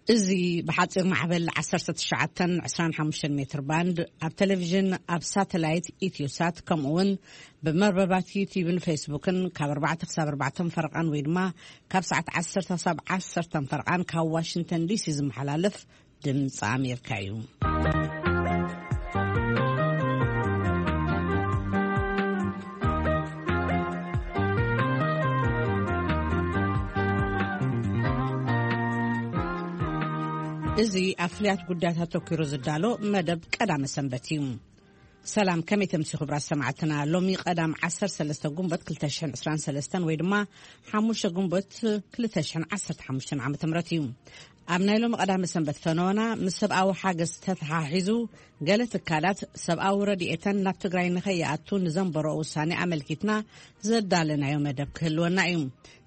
እዚ ብሓጺር ማዕበል ዓሰርተ ትሽዓተ ዕስራን ሓሙሽተን ሜትር ባንድ፣ ኣብ ቴሌቪዥን፣ ኣብ ሳተላይት ኢትዮሳት፣ ከምኡ እውን ብመርበባት ዩቲዩብን ፌስቡክን ካብ ኣርባዕተ ክሳብ ኣርባዕተ ፈረቓን ወይ ድማ ካብ ሰዓት ዓሰርተ ክሳብ ዓሰርተ ፈረቓን ካብ ዋሽንግተን ዲሲ ዝመሓላለፍ ድምፂ ኣሜሪካ እዩ። እዚ ኣብ ፍልያት ጉዳያት ኣተኲሩ ዝዳሎ መደብ ቀዳመ ሰንበት እዩ። ሰላም፣ ከመይ ተምሲ ክቡራት ሰማዕትና? ሎሚ ቀዳም ዓሰርተ ሰለስተ ጉንበት ክልተ ሽሕን ዕስራን ሰለስተን ወይ ድማ ሓሙሽተ ጉንበት ክልተ ሽሕን ዓሰርተ ሓሙሽተን ዓመተ ምህረት እዩ። ኣብ ናይ ሎሚ ቀዳመ ሰንበት ፈነወና ምስ ሰብኣዊ ሓገዝ ተተሓሒዙ ገለ ትካላት ሰብኣዊ ረድኤተን ናብ ትግራይ ንኸይኣቱ ንዘንበሮ ውሳኔ ኣመልኪትና ዘዳለናዮ መደብ ክህልወና እዩ።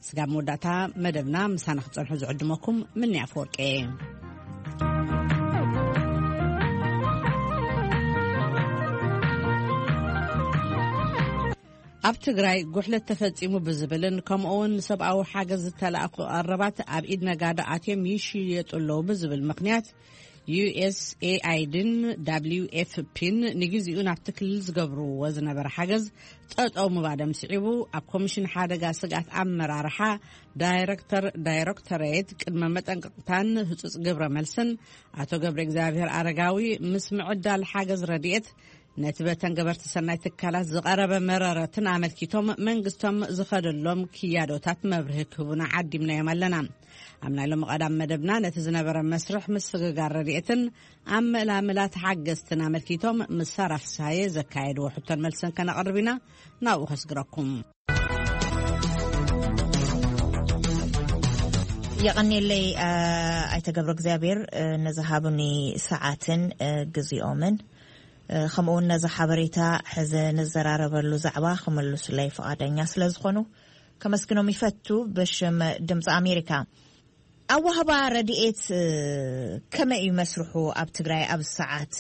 ስጋብ መወዳእታ መደብና ምሳና ክጸንሑ ዝዕድመኩም ምኒ ኣፈወርቂ እየ። ኣብ ትግራይ ጉሕለት ተፈጺሙ ብዝብልን ከምኡ እውን ንሰብኣዊ ሓገዝ ዝተላእኩ ቀረባት ኣብ ኢድ ነጋዶ ኣትዮም ይሽየጡ ኣለዉ ብዝብል ምኽንያት ዩ ኤስ ኤ ኣይ ዲን ደብሊው ኤፍ ፒን ንግዜኡ ናብቲ ክልል ዝገብርዎ ዝነበረ ሓገዝ ጠጠው ምባሎም ስዒቡ፣ ኣብ ኮሚሽን ሓደጋ ስግኣት ኣመራርሓ ዳይረክተር ዳይረክቶሬት ቅድመ መጠንቀቕታን ህጹጽ ግብረ መልስን ኣቶ ገብረ እግዚኣብሔር ኣረጋዊ ምስ ምዕዳል ሓገዝ ረድኤት ነቲ በተን ገበርቲ ሰናይ ትካላት ዝቐረበ መረረትን ኣመልኪቶም መንግስቶም ዝኸደሎም ክያዶታት መብርሂ ክህቡና ዓዲምናዮም ኣለና። ኣብ ናይ ሎሚ ቀዳም መደብና ነቲ ዝነበረ መስርሕ ምስግጋር ረድኤትን ኣብ መላምላት ሓገዝትን ኣመልኪቶም ምስ ሳራ ፍስሃየ ዘካየድዎ ሕቶን መልስን ከነቕርብ ኢና። ናብኡ ከስግረኩም። የቐኔለይ፣ አ፣ ኣይተ ገብረ እግዚኣብሔር፣ እ፣ ንዝሃቡኒ ሰዓትን፣ እ፣ ግዜኦምን፣ እ፣ ከምኡ እውን ነዚ ሓበሬታ ሕዚ ንዘራረበሉ ዛዕባ ክምልሱለይ ፍቓደኛ ስለ ዝኾኑ ከመስግኖም ይፈቱ ብሽም ድምፂ ኣሜሪካ። ኣዋህባ ረድኤት፣ እ፣ ከመይ እዩ መስርሑ ኣብ ትግራይ ኣብ ሰዓት?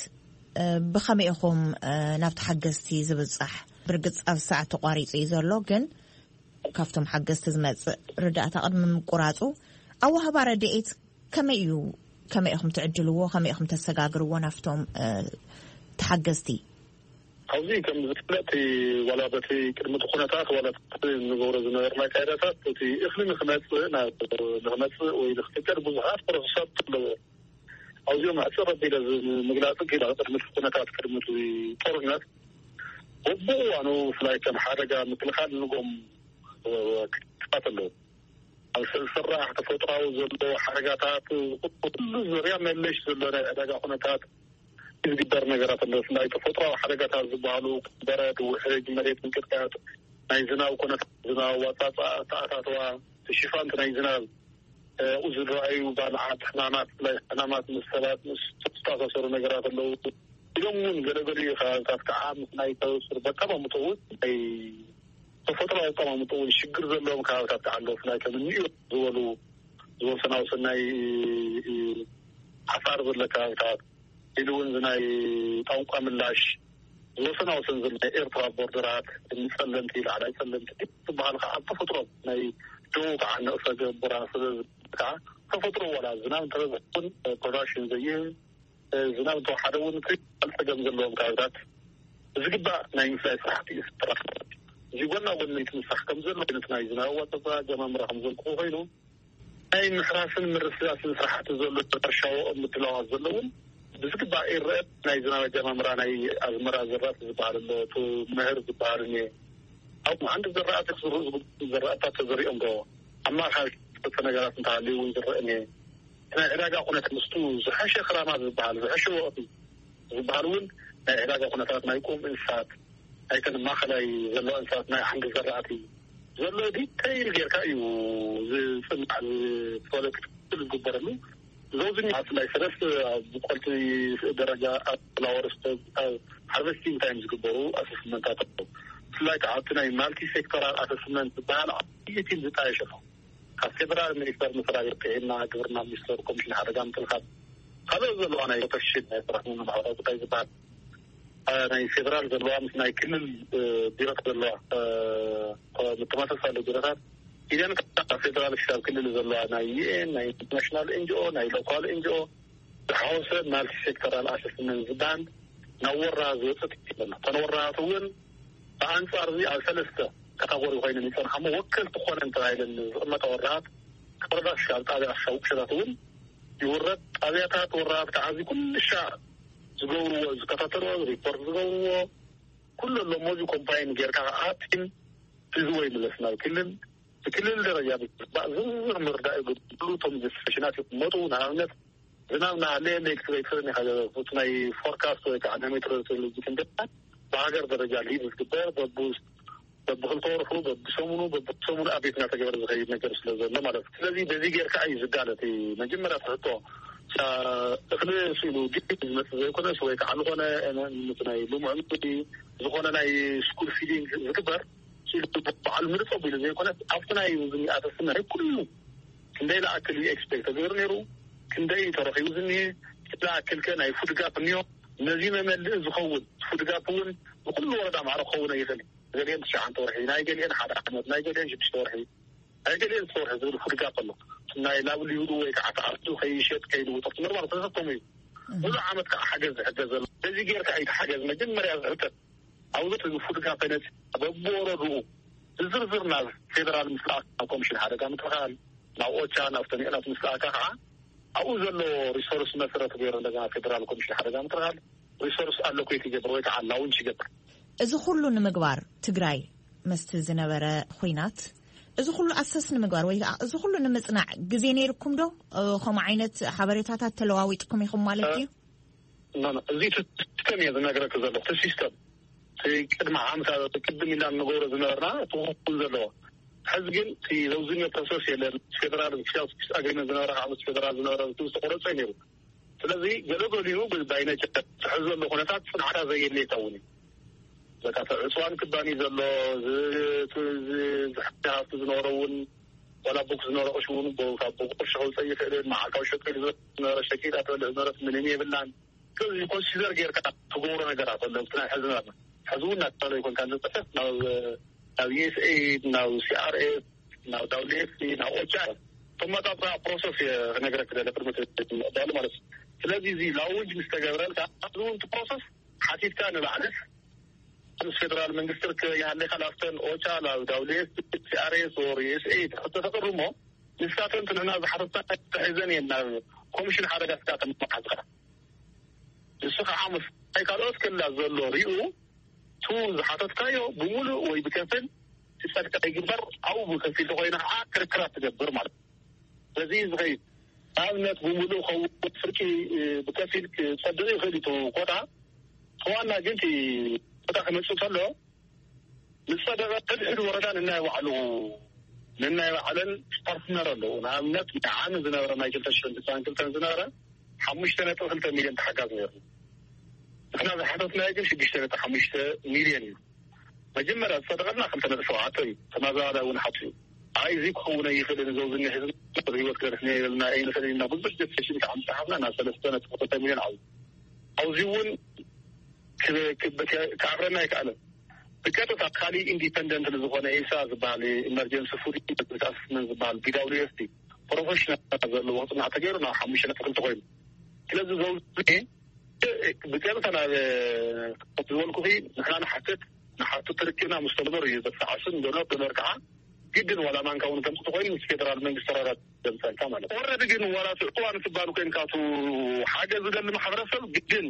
እ፣ ብኸመይ ኢኹም፣ እ፣ ናብቲ ሓገዝቲ ዝብጻሕ? ብርግጽ ኣብ ሰዓት ተቋሪጹ እዩ ዘሎ፣ ግን ካብቶም ሓገዝቲ ዝመጽእ ርዳእታ ቅድሚ ምቁራጹ ኣዋህባ ረድኤት ከመይ እዩ? ከመይ ኢኹም ትዕድልዎ? ከመይ ኢኹም ተሰጋግርዎ ናብቶም፣ እ፣ ተሓገዝቲ? ኣብዚ ከም ዝፍለጥ፣ ዋላ በቲ ቅድሚ እቲ ኩነታት ዋላ እቲ ንገብሮ ዝነበርና ካይዳታት፣ እቲ እኽሊ ንክመጽእ፣ ናብ፣ ንክመጽእ ወይ ንክትከል ብዙሓት ፕሮሰሳት ኣለዎ። ኣብዚኦም ኣጭር ኣቢለ ዝ-፣ ምግላጽ ክኢላ ቅድሚ እቲ ኩነታት፣ ቅድሚ እቲ ጦርነት፣ በብእዋኑ ብፍላይ ከም ሓደጋ ምክልኻል ንጎም፣ እ፣ ክትፋት ኣለዎ። ኣብ ዝስራሕ ተፈጥሯዊ ዘለዎ ሓደጋታት፣ ኩሉ ዙርያ መለሽ ዘሎ ናይ ዕዳጋ ኩነታት ዝግበር ነገራት ኣሎ። ብፍላይ ተፈጥሯዊ ሓደጋታት ዝበሃሉ በረድ፣ ውሕጅ፣ መሬት ምንቅጥቃጥ፣ ናይ ዝናብ ኩነታት፣ ዝናብ ኣጻጻ፣ ኣተኣታትዋ፣ ሽፋን ናይ ዝናብ፣ እ፣ ዝረኣዩ ባልዓት፣ ሕማማት፣ ብፍላይ ሕማማት ምስ ሰባት ምስ ዝተኣሳሰሩ ነገራት ኣለዉ። ኢሎም እውን ገለገሊኡ ከባብታት ከዓ ምስ ናይ ተበስር በጣም ኣምጥኡ ናይ ተፈጥሮ ኣቀማምጦ እውን ሽግር ዘለዎም ከባብታት ከዓ ኣለዉ። ብፍላይ ከም እኒኡ ዝበሉ ዝወሰናውሰን ናይ ዓፋር ዘሎ ከባብታት፣ ኢሉ እውን ናይ ቋንቋ ምላሽ ዝወሰናውሰን ዘሎ ናይ ኤርትራ ቦርደራት፣ እኒ ጸለምቲ፣ ላዕላይ ጸለምቲ ዝበሃል ከዓ ኣብ ተፈጥሮ ናይ ደቡብ ከዓ ንእሰ ገቡራ ስለ ዝብል ከዓ ተፈጥሮ ዋላ ዝናብ እንተበዝሐ እውን ፕሮዳክሽን ዘይህብ፣ ዝናብ እንተወሓደ እውን ከይበል ጸገም ዘለዎም ከባብታት ብዝግባእ ናይ ምፍላይ ስራሕቲ እዩ ዝስራሕ። እዚ ጎና ጎኒ እቲ ምስራሕ ከም ዘሎ ዓይነት ናይ ዝናብ ኣዋጸጽኣ ጀማምራ ከም ዘልክዎ ኮይኑ፣ ናይ ምሕራስን ምርስራስን ስራሕቲ ዘሎ፣ ሕርሻ ወቕም ምድላዋት ዘሎ እውን ብዝግባእ ይረአ። ናይ ዝናብ ኣጀማምራ ናይ ኣዝመራ ዝራእቲ ዝበሃል ኣሎ፣ እቲ መኸር ዝበሃል እኒአ። ኣብ ሓንቲ ዝራእቲ ክዝርኡ ዝግብኡ ዝራእታት ተዘሪኦም ዶ፣ ኣብ ማእኸል ክልተ ነገራት እንተሃልዩ እውን ዝረአ እኒአ። ናይ ዕዳጋ ኩነት ምስቱ ዝሐሸ ክራማት ዝበሃል፣ ዝሐሸ ወቕቲ ዝበሃል እውን ናይ ዕዳጋ ኩነታት ናይ ቁም እንስሳት፣ ኣይተን ማእኸላይ ዘለዋ እንስሳት፣ ናይ ዓንዲ ዘራእቲ ዘሎ ዲተይል ጌርካ እዩ ዝፅናዕ፣ ዝፈለጥ ክትትል ዝግበረሉ። ዘውዝኛ ብፍላይ ሰለስተ ኣብ ብቆልቲ ደረጃ ኣብ ፍላወር ስቶክ፣ ኣብ ሃርቨስቲንግ ታይም ዝግበሩ ኣሰስመንታት ኣለዉ። ብፍላይ ከዓ ኣብቲ ናይ ማልቲ ሴክተራል ኣሰስመንት ዝበሃል ዓብዪ ቲም ዝጣየሸ ነው። ካብ ፌደራል ሚኒስተር መስሪያ ቤት ጥዕና፣ ግብርና ሚኒስተር፣ ኮሚሽን ሓደጋ ምክልኻል፣ ካልኦት ዘለዋ ናይ ፕሮቴክሽን ናይ ሰራሕተኛ ማሕበራዊ ጉዳይ ዝበሃል፣ አ፣ ናይ ፌደራል ዘለዋ ምስ ናይ ክልል፣ እ፣ ቢሮታት ዘለዋ፣ እ፣ ምተመሳሳሊ ቢሮታት ኢደን ካብ ፌደራል ክሳብ ክልል ዘለዋ ናይ ዩ ኤን፣ ናይ ኢንተርናሽናል ኤን ጂ ኦ፣ ናይ ሎካል ኤን ጂ ኦ ዝሓወሰ ማልቲ ሴክተራል ኣሰስመንት ዝበሃል ናብ ወራ ዝወፅእ ትክክል ኣሎ። እተን ወራታት እውን ብኣንፃር እዚ ኣብ ሰለስተ ካታጎሪ ኮይነን ይፀንሓሞ ወከልቲ ኮነን ተባሂለን ዝቕመጣ ወራታት ካብ ወረዳ ክሻብ ጣብያ ክሻብ ቁሸታት እውን ይውረድ። ጣብያታት ወራታት ከዓ እዚ ኩልሻ ዝገብርዎ፣ ዝከታተልዎ፣ ሪፖርት ዝገብርዎ ኩሉ ኣለሞ። እዚ ኮምፓይን ጌርካ ከዓ ቲም ሒዝዎ ይምለስ ናብ ክልል። ብክልል ደረጃ ብዝግባእ ዝርዝር ምርዳእ ይግብሉ። እቶም ጀስቲፊኬሽናት ይቕመጡ። ንኣብነት ዝናብ ናሃለ ሌክትሬክስን ኢኻ ዘበፉት ናይ ፎርካስት ወይ ከዓ ናይ ሜትሮሎጂ ትንበያ ብሃገር ደረጃ ሊድ ዝግበር በብውስ በብክልተ ወርሑ በብሰሙኑ በብሰሙኑ ኣቤት እናተገበረ ዝኸይድ ነገር ስለ ዘሎ ማለት እዩ። ስለዚ በዚ ጌርካ እዩ ዝዳለ እቲ መጀመርያ ትሕቶ። እኽሊ ስኢሉ ድዩ ዝመፅእ ዘይኮነስ ወይ ከዓ ዝኾነ ምስ ናይ ልሙዕ ምግቢ ዝኾነ ናይ ስኩል ፊዲንግ ዝግበር ስኢሉ በዓል ምርፅ ኣቢሉ ዘይኮነስ ኣብቲ ናይ ዝኒ ኣተስመ ናይ ኩሉ ክንደይ ለኣክል እዩ ኤክስፔክት ተገይሩ ነይሩ፣ ክንደይ እዩ ተረኺቡ ዝኒ፣ ዝኣክል ከ ናይ ፉድ ጋፕ እኒዮ፣ ነዚ መመልእ ዝኸውን ፉድ ጋፕ እውን ብኩሉ ወረዳ ማዕረ ክኸውን ይኽእል። ገሊአን ትሽዓንተ ወርሒ ናይ ገሊአን ሓደ ዓመት ናይ ገሊአን ሽዱሽተ ወርሒ ናይ ገሊአን ዝተወርሒ ዝብል ፉድ ጋፕ ኣሎ። ናይ ላብሊውዱ ወይ ከዓ ተኣቱ ከይሸጥ ከይልውጦ ትምህር ማለት ተሰከሙ እዩ። ሙሉ ዓመት ከዓ ሓገዝ ዝሕገዝ ዘሎ በዚ ጌርካ እዩ ሓገዝ መጀመርያ ዝሕተት። ኣብዚ ፉድ ጋፕ ነፂ በብወረድኡ ዝዝርዝር ናብ ፌደራል ምስላእ ኮሚሽን ሓደጋ ምክልኻል ናብ ኦቻ ናብ ተኒዕናት ምስላእካ ከዓ ኣብኡ ዘሎ ሪሶርስ መሰረት ገይሩ እንደገና ፌደራል ኮሚሽን ሓደጋ ምክልኻል ሪሶርስ ኣሎኬት ይገብር ወይ ከዓ ላውንች ይገብር። እዚ ኩሉ ንምግባር ትግራይ መስቲ ዝነበረ ኹናት እዚ ኩሉ ኣሰስ ንምግባር ወይ ከዓ እዚ ኩሉ ንምፅናዕ ግዜ ነይርኩም ዶ? ከምኡ ዓይነት ሓበሬታታት ተለዋዊጥኩም ኢኹም ማለት እዩ? እዚ ሲስተም እየ ዝነግረክ ዘሎ። እቲ ሲስተም እቲ ቅድሚ ዓመት ቅድም ኢልና ንገብሮ ዝነበርና እቲ ክኹን ዘለዎ ሕዚ ግን እቲ ዘውዝኛ ፕሮሰስ የለን። ፌደራል ስ ኣግሪመንት ዝነበረ ካብ ፌደራል ዝነበረ ዝተቆረፀ ነይሩ። ስለዚ ገለገሊኡ ባይነጨ ትሕዝ ዘሎ ኩነታት ፅንዓታ ዘየድልየካ እውን እዩ። በቃ ዕፅዋን ክባኒ ዘሎ ዝሕቲ ሃፍቲ ዝነበረ እውን ዋላ ቡክ ዝነበረ ቅሽ እውን ካብ ቡክ ቅርሺ ከውፀእ ይኽእልን መዓልታዊ ሸቂል ዝነበረ ሸቂል ኣትበልዕ ዝነበረት ምንም የብላን። ስለዚ ኮንሲደር ጌርካ ትገብሮ ነገራት ኣሎ። ናይ ሕዚ ናትና ሕዚ እውን ናትናለ ይኮንካ ንፅሕፍ ናብ ናብ ዩኤስኤ ናብ ሲኣርኤስ ናብ ዳብሊኤፍሲ ናብ ኦቻ ተመጣጣ ፕሮሰስ ክነግረክ ደለ ቅድሚ ምዕባሉ ማለት እዩ። ስለዚ እዚ ላውንጅ ምስ ተገብረልካ እዚ እውን ፕሮሰስ ሓቲትካ ንባዕልስ ምስ ፌደራል መንግስቲ ርከብ ይሃለካ ናብተን ኦቻ ናብ ዳብሊኤፍሲ ሲኣርኤስ ወር ዩኤስኤ ተተቅርሞ ንስካተን ንሕና ዝሓተትና ተሒዘን እየን ናብ ኮሚሽን ሓደጋ ስጋተን መሓዝካ ንሱ ከዓ ምስ ናይ ካልኦት ክልላት ዘሎ ሪኡ ቱ ዝሓተትካዮ ብምሉእ ወይ ብከፍል ክፀድቅ ይግበር። ኣብኡ ብከፊል ተኮይኑ ከዓ ክርክራት ትገብር ማለት እዩ። በዚ ዝኸይድ ንኣብነት ብምሉእ ከውን ፍርቂ ብከፊል ክፀድቅ ይኽእል እዩ ኮታ ተዋና ግን ኮታ ክመፅእ ከሎ ዝፀደቀ ሕድሕድ ወረዳ ንናይ ባዕሉ ንናይ ባዕለን ፓርትነር ኣለዉ። ንኣብነት ዓሚ ዝነበረ ናይ ክልተ ሽሕን ትስዓን ክልተን ዝነበረ ሓሙሽተ ነጥቢ ክልተ ሚልዮን ተሓጋዝ ነይሩ። ንሕና ዝሓተትናዮ ግን ሽዱሽተ ነጥቢ ሓሙሽተ ሚልዮን እዩ። መጀመርያ ዝፀደቀልና ክልተ ነጥቢ ሸውዓተ እዩ። ተመዛባላይ እውን ሓቱ እዩ። ኣይ እዚ ክኸውን ኣይኽእልን ዘውዝኒ ህዝቢ ህይወት ክነድሕን የብልና ኣይንኽእል ኢና ብዙሕ ጀስቲፊኬሽን ከዓ ምፅሓፍና ናብ ሰለስተ ነጥቢ ክልተ ሚልዮን ዓብዩ ኣብዚ እውን ከዕብረና ኣይከኣለን። ብቀጥታ ካሊእ ኢንዲፐንደንት ዝኾነ ኤሳ ዝበሃል ኢመርጀንሲ ፉድ ኣስስመንት ዝበሃል ቢ ዳብሊው ኤፍ ቲ ፕሮፌሽናል ዘለዎ ክፅናዕ ተገይሩ ናብ ሓሙሽተ ነጥቢ ክልተ ኮይኑ ስለዚ ዘውዝ ብቀጥታ ናብ ዝበልኩኺ ንሕና ንሓትት ንሓቱ ትርክብና ምስ ተግበር እዩ ዘተዓስን ዶነር ዶነር ከዓ ግድን ዋላ ማንካ እውን ከምፅእ ተኮይኑ ምስ ፌደራል መንግስቲ ተራራ ዘምፀልካ ማለት ወረድ ግን ዋላ እዋን ስባን ኮይንካ ሓገዝ ዝደሊ ማሕበረሰብ ግድን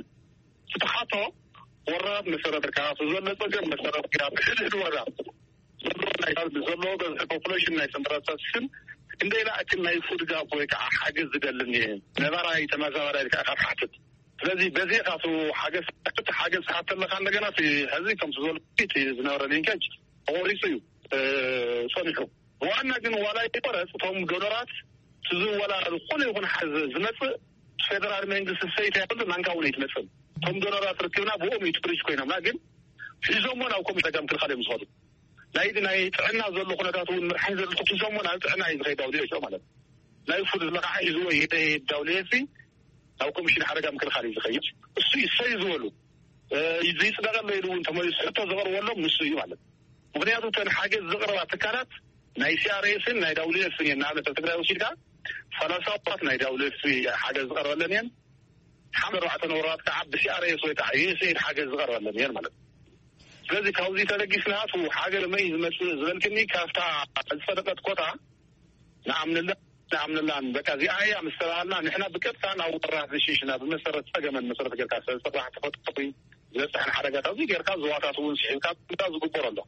ስትሓቶ ወራብ መሰረት ርካ ዘሎ ፀገም መሰረት ርካ ብሕድሕድ ወራብ ዘሎ ናይ ዘሎ በዝሒ ፖፑሌሽን ናይ ሰንበራታት ስም እንደ ኢላ ኣክል ናይ ፉድ ጋፕ ወይ ከዓ ሓገዝ ዝደልን እየ ነባራይ ተመዛባላይ ከዓ ካብ ሓትት ስለዚ በዚ ካቱ ሓገዝ ሓገዝ ሓተለካ እንደገና ሕዚ ከም ዝበሉ ዝነበረ ሊንኬጅ ተቆሪፁ እዩ ፀኒሑ ብዋና ግን ዋላ ይቆረፅ እቶም ዶነራት ዝወላ ዝኾነ ይኹን ሓዝ ዝመፅእ ፌደራል መንግስቲ ሰይት ያሉ ናንካ እውን ኣይትመፅም እቶም ዶነራት ርክብና ብኦም እዩ ትሪች ኮይኖምና ግን ሒዞሞ ናብ ኮሚሽን ጸገም ክልኻል እዮም ዝኸዱ ናይዚ ናይ ጥዕና ዘሎ ኩነታት እውን ምርሓይ ዘለቶ ሒዞሞ ናብ ጥዕና እዩ ዝኸይድ ዳውሊዮ ማለት ናይ ፉድ ዝለካዓ ሒዝዎ ይሄድ ዳውሊዮ ሲ ናብ ኮሚሽን ሓደጋ ምክልኻል እዩ ዝኸይድ እሱ ይሰዩ ዝበሉ ይፅደቀለ ኢሉ እውን ተመሊሱ ሕቶ ዘቕርበሎም ንሱ እዩ ማለት ምክንያቱ እተን ሓገዝ ዘቕርባ ትካላት ናይ ሲኣርኤስን ናይ ዳብሊው ኤፍን እየን። ንኣብነት ኣብ ትግራይ ወሲድካ ሰላሳ ወራት ናይ ዳብሊው ኤፍ ሓገዝ ዝቐርበለን እየን። ሓምሳ ኣርባዕተ ወራት ከዓ ብሲኣርኤስ ወይ ከዓ ዩኤስኤድ ሓገዝ ዝቐርበለን እየን ማለት እዩ። ስለዚ ካብዚ ተለጊስና እቲ ሓገዝ መይ ዝመፅእ ዝበልክኒ ካብታ ዝፀደቀት ኮታ ንኣምንላ ንኣምንላን በቃ እዚኣ እያ ምስ ተባሃልና ንሕና ብቀጥታ ናብ ወራት ዝሽሽና ብመሰረት ፀገመን መሰረት ጌርካ ሰብ ስራሕ ተፈጥሮ ዝበፅሐን ሓደጋታት እዚ ጌርካ ዝዋታት እውን ስሒብካ ዝግበር ኣሎ።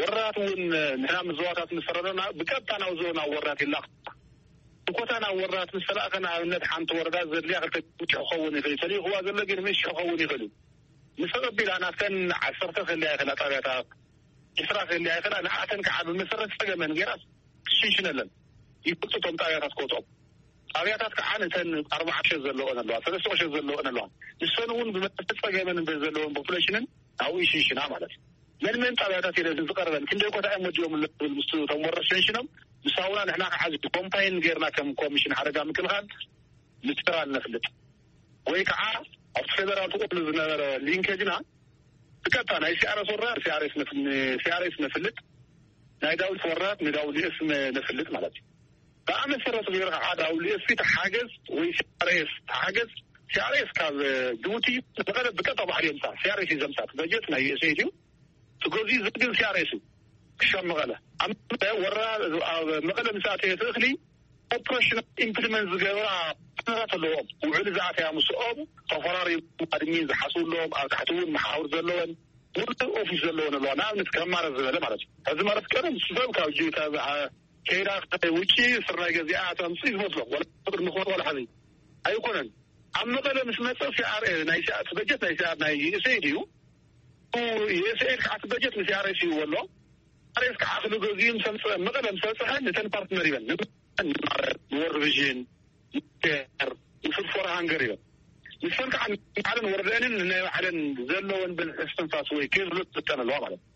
ወራት እውን ንሕና ምዝዋታት ምስ ፈረደና ብቀጥታ ናብ ዞ ናብ ወራት ይላኽ። ብኮታ ናብ ወራት ምስ ተላእኸ ንኣብነት ሓንቲ ወረዳ ዘድልያ ክልተ ሽሕ ክኸውን ይኽእል እዩ። ተልእኽዋ ዘሎ ግን ምስ ሽሕ ክኸውን ይኽእል እዩ። ምስ ተቐቢላ ናብተን ዓሰርተ ክህልያ ይኽእላ ጣብያታት፣ ዕስራ ክህልያ ይኽእላ። ንኣተን ከዓ ብመሰረት ፀገመን ገይራ ትሽንሽነለን። ይፈልጡ እቶም ጣብያታት ኮቶም ጣብያታት ከዓ ነተን ኣርባዓ ሸት ዘለወን ኣለዋ፣ ሰለስተ ሸት ዘለወን ኣለዋ። ንሰን እውን ብመሰረት ፀገመን ዘለወን ፖፑሌሽንን ኣብኡ ይሽንሽና ማለት እዩ። መን መን ጣብያታት ኢለ ዝቐርበን ክንደይ ኮታ እዮም ወዲኦም ዝብል ምስ እቶም ወረድ ሸንሽኖም ምስ ኣውና ንሕና ከዓ እዚ ኮምፓይን ጌርና ከም ኮሚሽን ሓደጋ ምክልኻል ምትራል ነፍልጥ ወይ ከዓ ኣብቲ ፌደራል ትቆሉ ዝነበረ ሊንኬጅና ብቀጥታ ናይ ሲኣርኤስ ወራ ሲኣርኤስ ነፍልጥ፣ ናይ ዳውሊት ወራ ንዳውሊኤስ ነፍልጥ ማለት እዩ። ብኣመሰረቱ ገይሩ ከዓ ዳውሊኤስ ፊት ሓገዝ ወይ ሲኣርኤስ ሓገዝ ሲኣርኤስ ካብ ጅቡቲ ብቀጥታ ባሕሪ የምፃእ። ሲኣርኤስ እዩ ዘምፃእ። በጀት ናይ ዩኤስኤድ እዩ። እቲ ገዚኡ ዝብል ሲኣርኤስ እዩ ክሻብ መቐለ። ኣብ መቐለ ወረራ ኣብ መቐለ ምስ ኣተየ እቲ እኽሊ ኦፕሬሽን ኢምፕሊመንት ዝገብራ ኩነታት ኣለዎም። ውዕል ዝኣተያ ምስኦም ተፈራሪሙ ኣድሚን ዝሓስብሎም ኣብ ታሕቲ እውን መሓውር ዘለወን ሙሉእ ኦፊስ ዘለወን ኣለዋ። ንኣብነት ከም ማረት ዝበለ ማለት እዩ። እዚ ማለት ቀደም ሰብ ካብ ጅ- ካብ ከይዳ ውጭ ስርናይ ገዚኣ ተምፅእ ዝመስሎም ወላ ቅድሚ ክወት ወላ ሕዚ ኣይኮነን። ኣብ መቐለ ምስ መፀ ሲኣር ናይ ሲኣር በጀት ናይ ሲኣር ናይ ዩኤስኤድ እዩ። ዩኤስኤድ ከዓ እቲ በጀት ንሲኣርኤስ እዩ ኣሎ። ሲኣርኤስ ከዓ ክሉ ገዚኡ ምስ ኣምፀ መቐለ ምስ በፅሐ ነተን ፓርትነር ይበን ንወርልድ ቪዥን ንር ንፉድ ፎር ሃንገር ይበን ንሰን ከዓ ንባዕለን ወረደንን ንናይ ባዕለን ዘለወን ብዝሒ እስትንፋስ ወይ ክህልት ዝጠን ኣለዋ ማለት እዩ።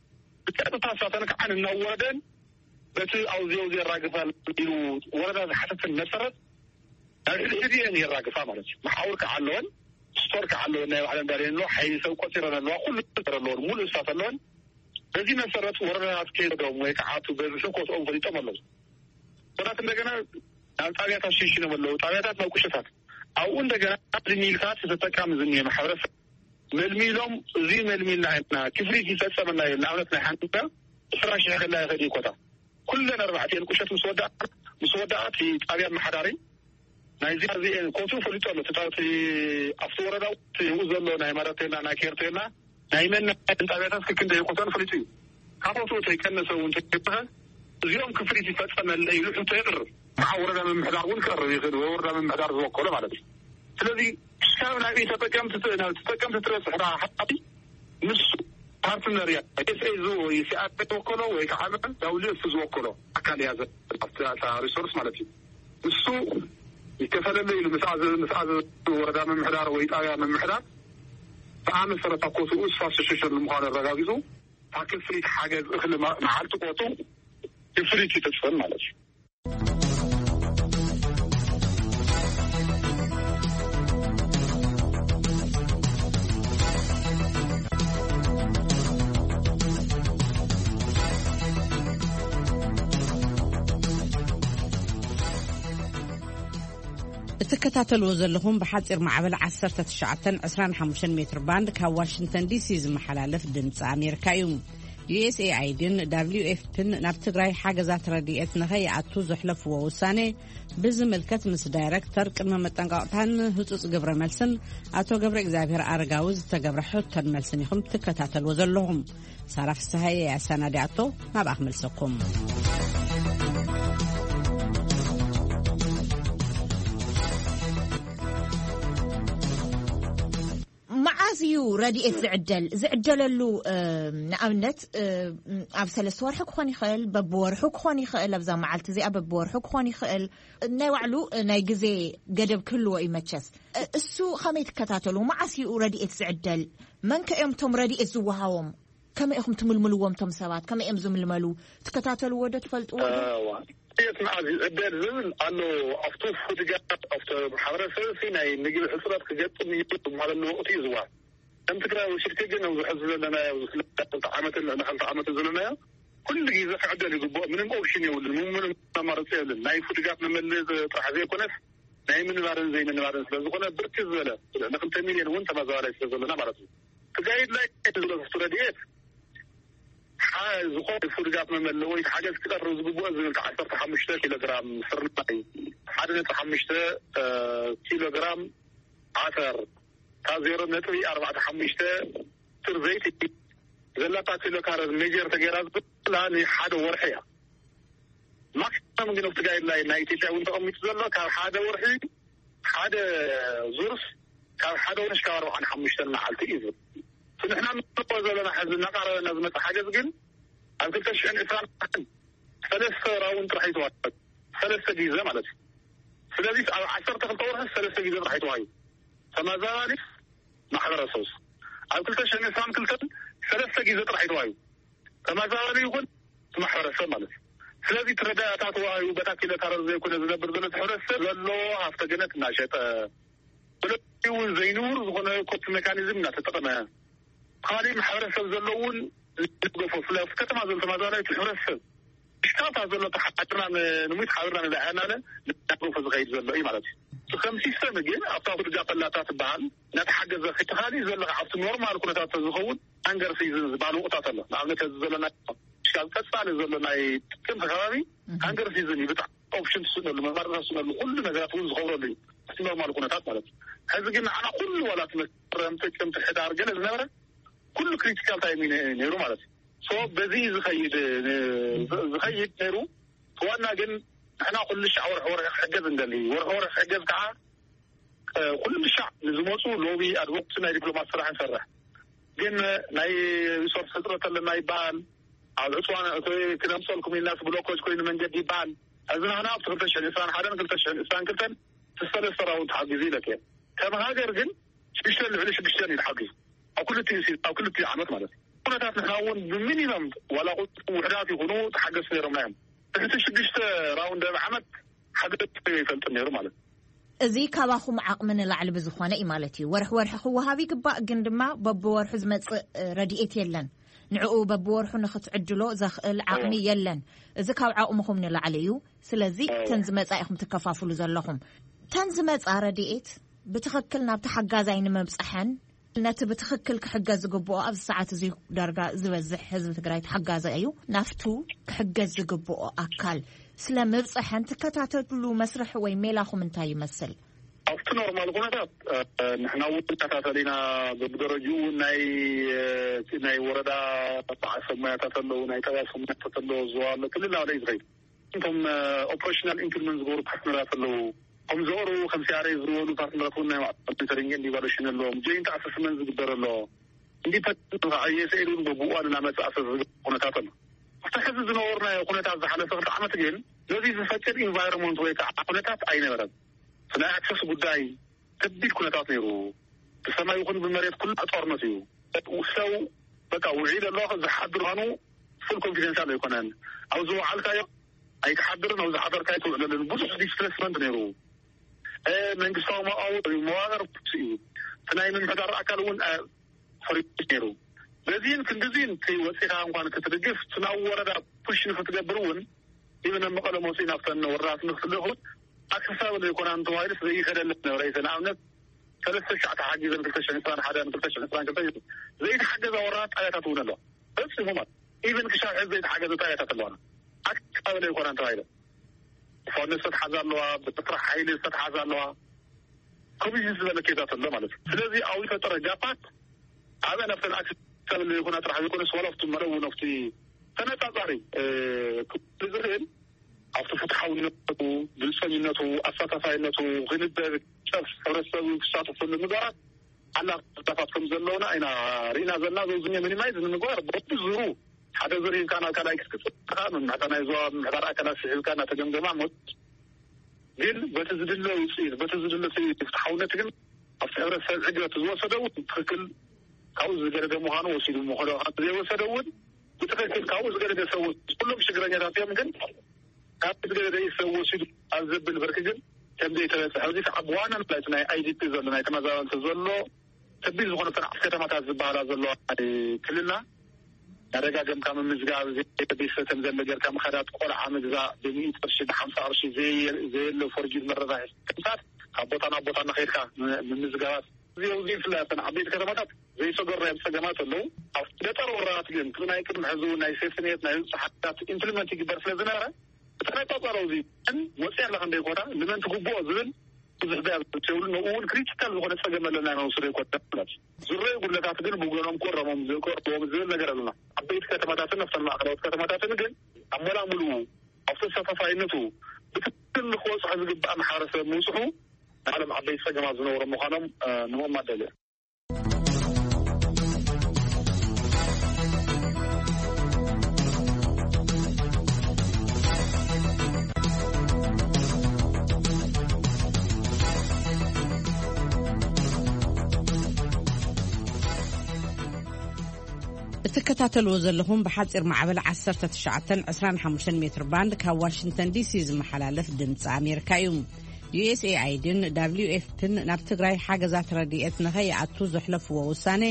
ብቀጥታ እሳተን ከዓ እናወረደን በቲ ኣውዚ ኣውዚ የራግፋ ኢሉ ወረዳ ዝሓተትን መሰረት ናብ ሕድሕድ እየን የራግፋ ማለት እዩ። መሓውር ከዓ ኣለወን፣ ስቶር ከዓ ኣለወን፣ ናይ ባዕለን ዳርየን ኣለዋ፣ ሓይሊ ሰብ ቆፂረን ኣለዋ፣ ኩሉ ነገር ኣለወን፣ ሙሉእ ስታት ኣለወን። በዚ መሰረት ወረዳታት ከይዶም ወይ ከዓ እቲ በዝሒ ኮትኦም ፈሊጦም ኣለዉ። ወራት እንደገና ናብ ጣብያታት ሽንሽኖም ኣለዉ። ጣብያታት ናብ ቁሸታት ኣብኡ እንደገና ኣብዚ ሚልታት ተጠቃሚ ዝኒሀ ማሕበረሰብ መልሚሎም፣ እዚ መልሚልና ኢና ክፍሊት ይፈጸመና እዩ። ንኣብነት ናይ ሓንቲ ዕስራ ሺሕ ከላ ይኸድ እዩ ኮታ። ኩለን ኣርባዕቲኤን ቁሸት ምስ ወዳኣ ምስ ወዳኣ እቲ ጣብያ ኣመሓዳሪ ናይዚ ኣዚኤን ኮቱ ፈሊጡ ኣሎ። እቲ ኣብቲ ወረዳ እውን እቲ ኣብኡ ዘሎ ናይ ማራቴና ናይ ኬርቴና ናይ መን ናይ ጣብያታት ክክንደ ይቆተን ፈሊጡ እዩ። ካብ ቦትኡ ተይቀነሰ እውን ተይበኸ እዚኦም ክፍሊት ይፈጸመለ ኢሉ ሕቶ የቕርብ። ከዓ ወረዳ ምምሕዳር እውን ክቐርብ ይኽእል ወይ ወረዳ ምምሕዳር ዝወከሎ ማለት እዩ። ስለዚ ክሳብ ናበይ ተጠቀምቲ ናብ ተጠቀምቲ ትበፅሕ ሓቲ ምስ ፓርትነር እያ። ኤስኤ ዝወ- ሲኣር ዝወከሎ ወይ ከዓ ዳውሊዮ እሱ ዝወከሎ ኣካል እያ ዘ- ኣብቲ ኣብታ ሪሶርስ ማለት እዩ። እሱ ይከፈለለ ኢሉ ምስ ኣዘ- ምስ ኣዘ- ወረዳ ምምሕዳር ወይ ጣብያ ምምሕዳር ብኣ መሰረት ኣብ ኮትኡ እሱ ኣሶሽሽን ንምዃኑ ኣረጋጊፁ ኣብ ክፍሊት ሓገዝ እኽሊ መ- መዓልቲ ኮቱ ክፍሊት ይፍፅም ማለት እዩ። እትከታተልዎ ዘለኹም ብሓፂር ማዕበል ዓሰርተ ትሽዓተን ዕስራን ሓሙሽተን ሜትር ባንድ ካብ ዋሽንግተን ዲሲ ዝመሓላለፍ ድምፂ ኣሜሪካ እዩ። ዩኤስኤኣይዲን ዳብሊው ኤፍፒን ናብ ትግራይ ሓገዛት ረድኤት ንኸይኣቱ ዘሕለፍዎ ውሳኔ ብዝምልከት ምስ ዳይረክተር ቅድመ መጠንቀቕታን ህጹጽ ግብረ መልስን ኣቶ ገብረ እግዚኣብሔር ኣረጋዊ ዝተገብረ ሕቶን መልስን ኢኹም ትከታተልዎ ዘለኹም። ሳራ ፍስሃየ እያ ኣሰናዲኣቶ። ናብኣ ክመልሰኩም። መዓዝ እዩ ረድኤት ዝዕደል? ዝዕደለሉ ንኣብነት ኣብ ሰለስተ ወርሒ ክኾን ይኽእል፣ በብወርሑ ክኾን ይኽእል፣ ኣብዛ መዓልቲ እዚኣ በብወርሑ ክኾን ይኽእል። ናይ ባዕሉ ናይ ግዜ ገደብ ክህልዎ እዩ። መቸስ እሱ ኸመይ ትከታተሉ? መዓስ እዩ ረድኤት ዝዕደል? መን ከ እዮም እቶም ረድኤት ዝወሃቦም? ከመይ ኢኹም ትምልምልዎም እቶም ሰባት? ከመይ እዮም ዝምልመሉ? ትከታተልዎ ዶ ትፈልጥዎ ዶ? እዋ፣ የት መዓዝ ይዕደል ዝብል ኣሎ። ኣብቲ ፉድጋት ኣብቲ ማሕበረሰብ ሲ ናይ ምግቢ ሕፅረት ክገጥም እዩ ዝበሃለሉ ወቅቲ እዩ ዝዋ ከም ትግራይ ወሲድክ ግን ኣብዚ ሕዚ ዘለናዮ ኣብዚ ክልተ ዓመትን ልዕሊ ክልተ ዓመትን ዘለናዮ ኩሉ ግዜ ክዕደል ይግብኦ። ምንም ኦፕሽን የብሉን፣ ምንም ኣማራፂ የብሉን። ናይ ፉድጋት መመልእ ጥራሕ ዘይኮነስ ናይ ምንባርን ዘይምንባርን ስለ ዝኾነ፣ ብርክት ዝበለ ንክልተ ሚልዮን እውን ተመዛባላይ ስለ ዘለና ማለት እዩ። ትጋይድ ላይ ዝብሎ ረድኤት፣ ዝኾነ ፉድጋት መመልእ ወይ ሓገዝ ክቀርብ ዝግብኦ ዝብል ዓሰርተ ሓሙሽተ ኪሎ ግራም ስርናይ፣ ሓደ ነጥቢ ሓሙሽተ ኪሎ ግራም ዓተር፣ ካብ ዜሮ ነጥቢ ኣርባዕተ ሓሙሽተ ትር ዘይቲ ዘላታ ኪሎ ካሎሪ ሜጀር ተገይራ ዘላ ንሓደ ወርሒ እያ። ማክሲመም ግን ኣብቲ ጋይድላይን ናይ ኢትዮጵያ እውን ተቐሚጡ ዘሎ ካብ ሓደ ወርሒ፣ ሓደ ዙርስ ካብ ሓደ ወርሒ ካብ ኣርባዓን ሓሙሽተን መዓልቲ እዩ ዝብል። እቲ ንሕና ንሪኦ ዘለና ሕዚ እናቐረበና ዝመፅእ ሓገዝ ግን ኣብ ክልተ ሽሕን ዕስራን ሰለስተ ራውን ጥራሕ ይተዋል። ሰለስተ ግዜ ማለት እዩ። ስለዚ ኣብ ዓሰርተ ክልተ ወርሒ ሰለስተ ግዜ ጥራሕ ይተዋዩ። ተመዛባሊ ማሕበረሰብ ኣብ ክልተ ሽሕን ዕስራን ክልተን ሰለስተ ግዜ ጥራሕ ይተዋዩ። ተመዛባሊ ይኹን ማሕበረሰብ ማለት እዩ። ስለዚ ትረዳእታት ዋዩ በታ ኪሎ ካሎሪ ዘይኮነ ዝነብር ዘሎ ሕብረተሰብ ዘሎ ሃፍተ ገነት እናሸጠ፣ ብለዩ ዘይንቡር ዝኾነ ኮስት ሜካኒዝም እናተጠቐመ፣ ካሊእ ማሕበረሰብ ዘሎ እውን ዝደገፎ፣ ስለ ኣብቲ ከተማ ዘሎ ተመዛባሊ ሕብረተሰብ ሽካታ ዘሎ ተሓድርና ን-፣ ንሙት ሓብርና ንላዕልና ለ እናደገፎ ዝኸይድ ዘሎ እዩ ማለት እዩ። እቲ ከም ሲስተም ግን ኣብታ ኩልጋ ፈላታ ትበሃል እናተሓገዘ ከይተኻሊ ዘለካ ኣብቲ ኖርማል ኩነታት ዝኸውን ሃንገር ሲዝን ዝበሃል ወቕታት ኣሎ። ንኣብነት እዚ ዘለና ሽካል ቀጻሊ ዘሎ ናይ ጥቅምቲ ከባቢ ሃንገር ሲዝን እዩ። ብጣዕሚ ኦፕሽን ትስእነሉ፣ መማረፂ ትስእነሉ፣ ኩሉ ነገራት እውን ዝኸብረሉ እዩ። እቲ ኖርማል ኩነታት ማለት እዩ። ሕዚ ግን ንዓና ኩሉ ዋላ እቲ መስከረም፣ ጥቅምቲ፣ ሕዳር ገለ ዝነበረ ኩሉ ክሪቲካል ታይም እዩ ነ-፣ ነይሩ ማለት እዩ። ሶ በዚ ዝኸይድ፣ ዝ-፣ ዝኸይድ ነይሩ። ዋና ግን ንሕና ኩሉ ሻዕ ወርሒ ወርሒ ክሕገዝ እንደሊ። ወርሒ ወርሒ ክሕገዝ ከዓ፣ እ፣ ኩሉ ሻዕ ንዝመፁ ሎቢ ኣድቮካሲ ናይ ዲፕሎማት ስራሕ ንሰርሕ። ግን ናይ ሪሶርስ ሕፅረት ኣለና ይበሃል። ኣብ ዕፅዋን እቲ ክነምፀልኩም ኢልናስ ብሎኮች ኮይኑ መንገዲ ይበሃል። እዚ ንሕና ኣብቲ ክልተ ሽሕን ዕስራን ሓደን ክልተ ሽሕን ዕስራን ክልተን ሰለስተ ራውንድ ተሓጊዙ ኢለክ እየ። ከም ሃገር ግን ሽዱሽተ ልዕሊ ሽዱሽተ እዩ ተሓጊዙ። ኣብ ክልቲኡ ሲ-፣ ኣብ ክልቲኡ ዓመት ማለት እዩ። ኩነታት ንሕና እውን ብሚኒመም ዋላ ቁፅሪ ውሕዳት ይኹኑ ተሓገዝቲ ነይሮምና እዮም። ትሕቲ ሽዱሽተ ራውንድ ኣብ ዓመት ሓገዝ ይፈልጥ ነይሩ ማለት እዩ። እዚ ካባኹም ዓቕሚ ንላዕሊ ብዝኾነ እዩ ማለት እዩ። ወርሒ ወርሒ ክወሃብ ይግባእ፣ ግን ድማ በብወርሑ ዝመጽእ፣ እ፣ ረድኤት የለን። ንዕኡ በብወርሑ ንኽትዕድሎ ዘኽእል ዓቕሚ እዎ። የለን። እዚ ካብ ዓቕምኹም ንላዕሊ እዩ። ስለዚ እዎ። ተን ዝመጻ ኢኹም ትከፋፍሉ ዘለኹም። ተን ዝመጻ ረድኤት ብትኽክል ናብቲ ሓጋዛይ ንምብጻሐን ነቲ ብትኽክል ክሕገዝ ዝግብኦ ኣብዚ ሰዓት እዚ ዳርጋ ዝበዝሕ ህዝቢ ትግራይ ተሓጋዛይ እዩ። ናብቱ ክሕገዝ ዝግብኦ ኣካል ስለ ምብጻሐን ትከታተሉ መስርሕ ወይ ሜላኹም እንታይ ይመስል? ኣብቲ ኖርማል ኩነታት፣ እ፣ ንሕና እውን ንከታተል ኢና። በብደረጅኡ እውን ናይ፣ እ፣ ናይ ወረዳ በዓል ሰብ ሞያታት ኣለዉ፣ ናይ ጣብያ ሰብ ሞያታት ኣለዉ፣ ዞባ ኣሎ፣ ክልል ናበለ እዩ ዝኸይድ። እቶም፣ እ፣ ኦፕሬሽናል ኢምፕሊመንት ዝገብሩ ፓርትነራት ኣለዉ። ከም ዞሩ፣ ከም ሲኣርኤ ዝበሉ ፓርትነራት እውን ናይ ማዕከል ሞኒተሪንግን ኢቫሉዌሽን ኣለዎም። ጆይንት ኣሰስመንት ዝግበር ኣሎ። ኢንዲፐንደንት ከዓ ዩ ኤስ ኤ ድ እውን በብእዋኑ እናመፅኣ ሰብ ዝገብር ኩነታት ኣሎ። ኣብቲ ሕዚ ዝነበርናዮ ኩነታት ዝሓለፈ ክልተ ዓመት ግን ነዚ ዝፈቅድ ኢንቫይሮንመንት ወይ ከዓ ኩነታት ኣይነበረን። እቲ ናይ ኣክሰስ ጉዳይ ከቢድ ኩነታት ነይሩ። ብሰማይ ይኹን ብመሬት ኩሉ ጦርነት እዩ። ሰው በቃ ውዒል ኣሎ ዝሓድር ምዃኑ ፉል ኮንፊደንሻል ኣይኮነን። ኣብ ዝወዓልካዮ ኣይትሓድርን፣ ኣብ ዝሓደርካዮ ትውዕለልን። ብዙሕ ዲስፕሌስመንት ነይሩ። እ፣ መንግስታዊ መዋውር፣ መዋቅር እዩ። እቲ ናይ ምምሕዳር ኣካል እውን፣ እ፣ ፈሪሱ ነይሩ። በዚህን ክንድዚህን እቲ ወፂኻ እንኳን ክትድግፍ፣ እቲ ናብ ወረዳ ፑሽ ንክትገብር እውን፣ ኢብን ኣብ መቐለ መፅኡ ናብተን ወረዳት ንክትልእኽ እውን ኣክሰሳብል ዘይኮና እንተባሂሉ ዘይከደለን ነበረ። ንኣብነት፣ ሰለስተ ሻዕ ተሓጊዘን ክልተ ሽሕን ዕስራን ሓደን ክልተ ሽሕን ዕስራን ክልተን ዘይተሓገዛ ወረዳት ጣብያታት እውን ኣለዋ። ፈፂሙ ማለት ኢብን ክሻብ ሕዚ ዘይተሓገዘ ጣብያታት ኣለዋና። ኣክሰሳብል ዘይኮና እንተባሂሉ ፋውንድ ዝተትሓዛ ኣለዋ፣ ብኤርትራ ሓይሊ ዝተትሓዛ ኣለዋ። ኮሚሽን ዝበለ ኬዛት ኣሎ ማለት እዩ። ስለዚ ኣብ ዝፈጠረ ጋፓት ኣበ ናብተን ኣክሰሳብል ዘይኮና ጥራሕ ዘይኮነስ ዋላ ኣብቲ መረቡ ናብቲ ተነጻጻሪ፣ እ፣ ክብል ዝኽእል ኣብቲ ፍትሓውነቱ፣ ግልጸኝነቱ፣ ኣሳታፋይነቱ፣ ክንበብ፣ ጨፍ፣ ሕብረተሰብ ክሳተፈሉ ምግባራት ኣላ ጋፓት ከም ዘለውና ኢና ርኢና ዘለና። ዘውዝኛ ሚኒማይዝ ንምግባር በብዙሩ ሓደ ዙር ሂብካ ናብ ካልኣይ ክትቅጽል ከኣ ምምሕዳር ናይ ዞባ ምምሕዳር ኣካላት ስሒብካ እናተገምገማ ሞት ግን በቲ ዝድለ ውፅኢት፣ በቲ ዝድለ ፍትሓውነት ግን ኣብቲ ሕብረተሰብ ዕግበት ዝወሰደ እውን ትኽክል ካብኡ ዝገደደ ምዃኑ ወሲዱ ምዃኑ፣ ካብቲ ዘይወሰደ እውን ብትኽክል ካብኡ ዝገደደ ሰብ ወሲዱ። ኩሎም ሽግረኛታት እዮም፣ ግን ካብቲ ዝገደደ እዩ ሰብ ወሲዱ ኣብ ዘብል ብርኪ ግን ከም ዘይተበፅሐ፣ እዚ ከዓ ብዋናነት ናይቲ ናይ ኣይ ዲ ፒ ዘሎ፣ ናይ ተመዛበልቲ ዘሎ ከቢድ ዝኾነ ተናዕቲ ከተማታት ዝበሃላ ዘለዋ ናይ ክልልና መደጋገምካ ምምዝጋብ፣ ዘይተደሰተን ዘሎ ጌርካ ምኸዳት፣ ቆልዓ ምግዛእ፣ ብሚእቲ ቅርሺ፣ ብሓምሳ ቅርሺ ዘየ-፣ ዘየለ ፎርጅድ መረዳሒ ምምሳት፣ ካብ ቦታ ናብ ቦታ እናኸድካ ም-፣ ምምዝጋባት። እዚ ኣብዚ ብፍላይ ኣብተን ዓበይቲ ከተማታት ዘይሰገርናዮም ጸገማት ኣለዉ። ኣብ ገጠር ወረዳት ግን እቲ ናይ ቅድሚ ሕዚ እውን ናይ ሴፍትኔት ናይ ህዝቢ ሓገዛት ኢምፕሊመንት ይግበር ስለ ዝነበረ፣ እቲ ነጻጻሮ እዚ ግን ወፂኣ ኣለካ እንደ ይኮና ንመን ትግብኦ ዝብል ብዙሕ ደያ ዘይብሉ፣ ንኡ እውን ክሪቲካል ዝኾነ ጸገም ኣለና ኢና ንወስዶ ይኮና ማለት እዩ። ዝረዩ ጉድለታት ግን ብጎኖም ክእረሞም፣ ክእረሞም ዝብል ነገር ኣለና። ዓበይቲ ከተማታትን ኣብተን ማእከላዎት ከተማታትን ግን ኣመላምሉ ኣብቲ ተሳታፋይነቱ ብትክክል ንክበፅሖ ዝግባእ ማሕበረሰብ ምውፅሑ ንዓለም ዓበይቲ ጸገማት ዝነበሩ ምዃኖም፣ እ፣ ንምእማት ደልየ። እትከታተልዎ ዘለኹም ብሓፂር ማዕበል ዓሰርተ ትሽዓተን ዕስራን ሓሙሽተን ሜትር ባንድ ካብ ዋሽንግተን ዲሲ ዝመሓላለፍ ድምፂ ኣሜሪካ እዩ። ዩ ኤስ ኤ ኣይ ዲን ደብሊው ኤፍ ፒን ናብ ትግራይ ሓገዛት ረድኤት ንኸይኣቱ ዘሕለፍዎ ውሳኔ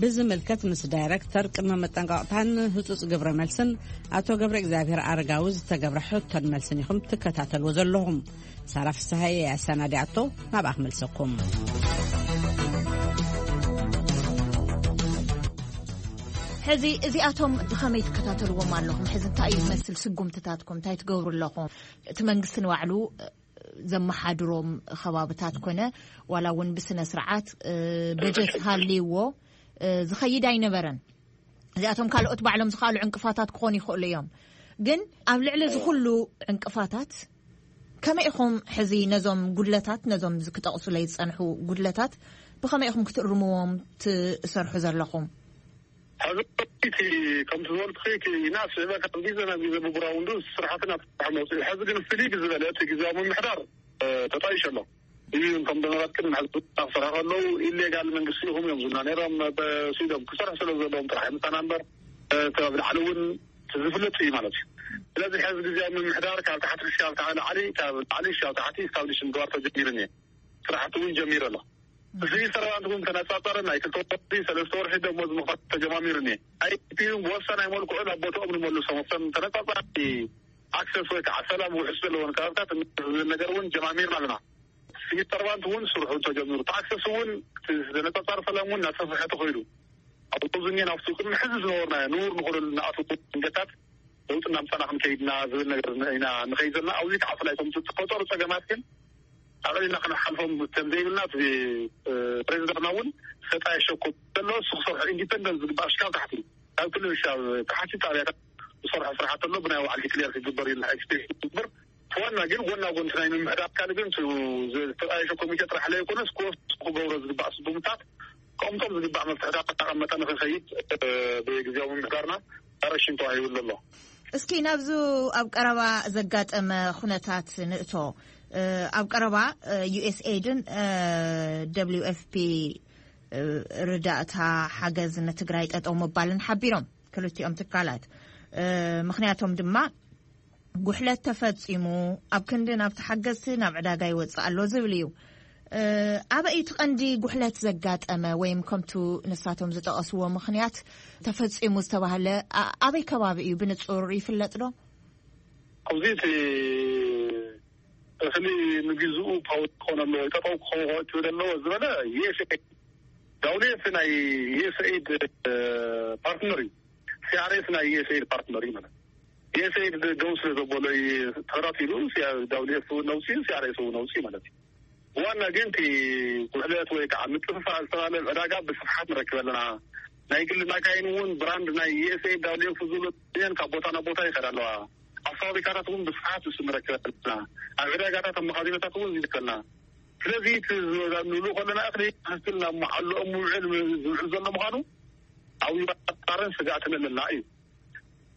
ብዝምልከት ምስ ዳይረክተር ቅድመ መጠንቀቕታን ህጹጽ ግብረ መልስን ኣቶ ገብረ እግዚኣብሔር ኣረጋዊ ዝተገብረ ሕቶን መልስን ኢኹም ትከታተልዎ ዘለኹም። ሳራ ፍስሃየ ኣሰናዲኣቶ፣ ናብኣ ክመልሰኩም። ሕዚ እዚኣቶም ብኸመይ ትከታተልዎም ኣለኹም? ሕዚ እንታይ እዩ ዝመስል ስጉምትታትኩም? እንታይ ትገብሩ ኣለኹም? እቲ መንግስቲ ንባዕሉ ዘመሓድሮም ከባብታት ኮነ ዋላ እውን ብስነ ስርዓት፣ እ፣ በጀት ሃልይዎ፣ እ፣ ዝኸይድ ኣይነበረን። እዚኣቶም ካልኦት ባዕሎም ዝኸኣሉ ዕንቅፋታት ክኾኑ ይኽእሉ እዮም። ግን ኣብ ልዕሊ እዚ ኩሉ ዕንቅፋታት ከመይ ኢኹም ሕዚ ነዞም ጉድለታት፣ ነዞም ዝ-፣ ክጠቕሱለይ ዝጸንሑ ጉድለታት ብኸመይ ኢኹም ክትእርምዎም ትሰርሑ ዘለኹም? ሕዚ እቲ ከምቲ ዝበልኩኺ፣ እቲ ይናስ ይበል ካብ ግዜ ናብ ግዜ ብጉራውንዱ ስራሕትና ተስፋሕ መውፅኢ። ሕዚ ግን ፍልይ ብዝበለ እቲ ግዜያዊ ምምሕዳር፣ እ፣ ተጣይሹ ኣሎ። እዩ፣ እቶም ደመራት ቅድሚ ሕዚ ክሰርሑ ከለዉ ኢሌጋል መንግስቲ ኢኹም እዮም ዝብሉና ነይሮም። በስኢዶም ክሰርሑ ስለ ዘለዎም ጥራሕ ምሳና እምበር፣ እ፣ እቲ ኣብ ላዕሊ እውን እቲ ዝፍለጥ እዩ ማለት እዩ። ስለዚ ሕዚ ግዜያዊ ምምሕዳር ካብ ታሕቲ ክሻብ ታሕቲ ላዕሊ፣ ካብ ላዕሊ ክሻብ ታሕቲ ስታብሊሽ ምግባር ተጀሚሩ እኒአ። ስራሕቲ እውን ጀሚሩ ኣሎ። እዚ ሰርቫንት እውን ተነጻጸረ ናይ ክልተ ወርሒ፣ ሰለስተ ወርሒ ደሞዝ ምኽፋል ተጀማሚሩ እኒአ። ኣይ ቲ ፒ እውን ብወሳናይ መልክዑ ናብ ቦታኦም ንመልሶም። ኣብተን ተነጻጻሪ ኣክሰስ ወይ ከዓ ሰላም ውሕስ ዘለዎን ከባብታት ዝብል ነገር እውን ጀማሚርና ኣለና። ሲቪል ሰርቫንት እውን ስርሑ ተጀሚሩ፣ እቲ ኣክሰስ እውን እቲ ተነጻጻሪ ሰላም እውን እናሰፍሐ ተኸይዱ። ኣብ ዞን ናብቲ ቅድሚ ሕዚ ዝነበርናዮ ንቡር ንኽእል ንኣትዎ መንገድታት ለውጢ እናምጻና ክንከይድና ዝብል ነገር ኢና ንኸይድ ዘለና። ኣብዚ ከዓ ብፍላይ እቶም ዝተፈጠሩ ጸገማት ግን ኣቕሊልና ክንሓልፎም ከም ዘይብልና እቲ፣ እ፣ ፕሬዚዳንትና እውን ዝተጣየሸ እኮ ዘሎ እሱ ክሰርሖ ኢንዲፐንደንት ዝግባእ ሽካብ ታሕቲ ካብ ክልል ሻብ ታሕቲ ጣብያታት ዝሰርሖ ስራሕቲ ኣሎ። ብናይ ባዕሉ ዲክሌር ክግበር ኢልና ኤክስፔክት ዝግበር ዋና ግን ጎና ጎንቲ ናይ ምምሕዳር ኣካል ግን ሱ-፣ ዝተጣየሸ ኮሚቴ ጥራሕ ለይኮነስ ክወስድ ክገብሮ ዝግባእ ስጉምታት ከምቶም ዝግባእ መፍትሕታት እናቐመጠ ንኽኸይድ፣ እ፣ ብግዜያዊ ምምሕዳርና ዳይሬክሽን ተዋሂቡ ኣሎ። እስኪ ናብዚ ኣብ ቀረባ ዘጋጠመ ኩነታት ንእቶ። እ፣ ኣብ ቀረባ፣ እ፣ ዩ ኤስ ኤድን፣ እ፣ ደብሊው ኤፍ ፒ፣ እ፣ ርዳእታ ሓገዝ ንትግራይ ጠጠው ምባልን ሓቢሮም ክልቲኦም ትካላት። እ፣ ምኽንያቶም ድማ ጉሕለት ተፈጺሙ፣ ኣብ ክንዲ ናብ ተሓገዝቲ ናብ ዕዳጋ ይወጽእ ኣሎ ዝብል እዩ። እ፣ ኣበይ እቲ ቀንዲ ጉሕለት ዘጋጠመ ወይም ከምቱ ንሳቶም ዝጠቐስዎ ምኽንያት ተፈጺሙ ዝተባህለ ኣ-፣ ኣበይ ከባቢ እዩ ብንጹር ይፍለጥ ዶ? ኣብዚ እቲ እኽሊ ንግዝኡ ፓውዝ ክኾን ኣለዎ፣ ጠጠው ክኸውን ትብል ኣለዎ ዝበለ ዩ ኤስ ኤ ዳውሌት ናይ ዩ ኤስ ኤድ ፓርትነር እዩ። ሲ ኣር ኤስ ናይ ዩ ኤስ ኤድ ፓርትነር እዩ ማለት። ዩ ኤስ ኤድ ደው ስለ ዘበሎ እዩ ተኸታቲሉ፣ ሲ-፣ ዳውሌት እውን ነውፅኡ፣ ሲ ኣር ኤስ እውን ነውፅኡ ማለት እዩ። ዋና ግን እቲ ጉሕለት ወይ ከዓ ምጥፍፋእ ዝተባለ ዕዳጋ ብስፍሓት ንረክብ ኣለና። ናይ ግሊ ማካይን እውን ብራንድ ናይ ዩ ኤስ ኤድ ዳውሌት ዝብሉ እየን ካብ ቦታ ናብ ቦታ ይኸዳ ኣለዋ። ኣብ ፋብሪካታት እውን ብስፍሓት ንሱ ንረክብ ኣለና። ኣብ ዕዳጋታት ኣብ መኻዚኖታት እውን ይርከልና። ስለዚ እቲ ንብሉ ከለና እኽሊ ትኽክል ናብ መዓልኦም ምውዕል ዝውዕል ዘሎ ምዃኑ ዓብዪ ጥርጣረን ስግኣትን ኣለና እዩ።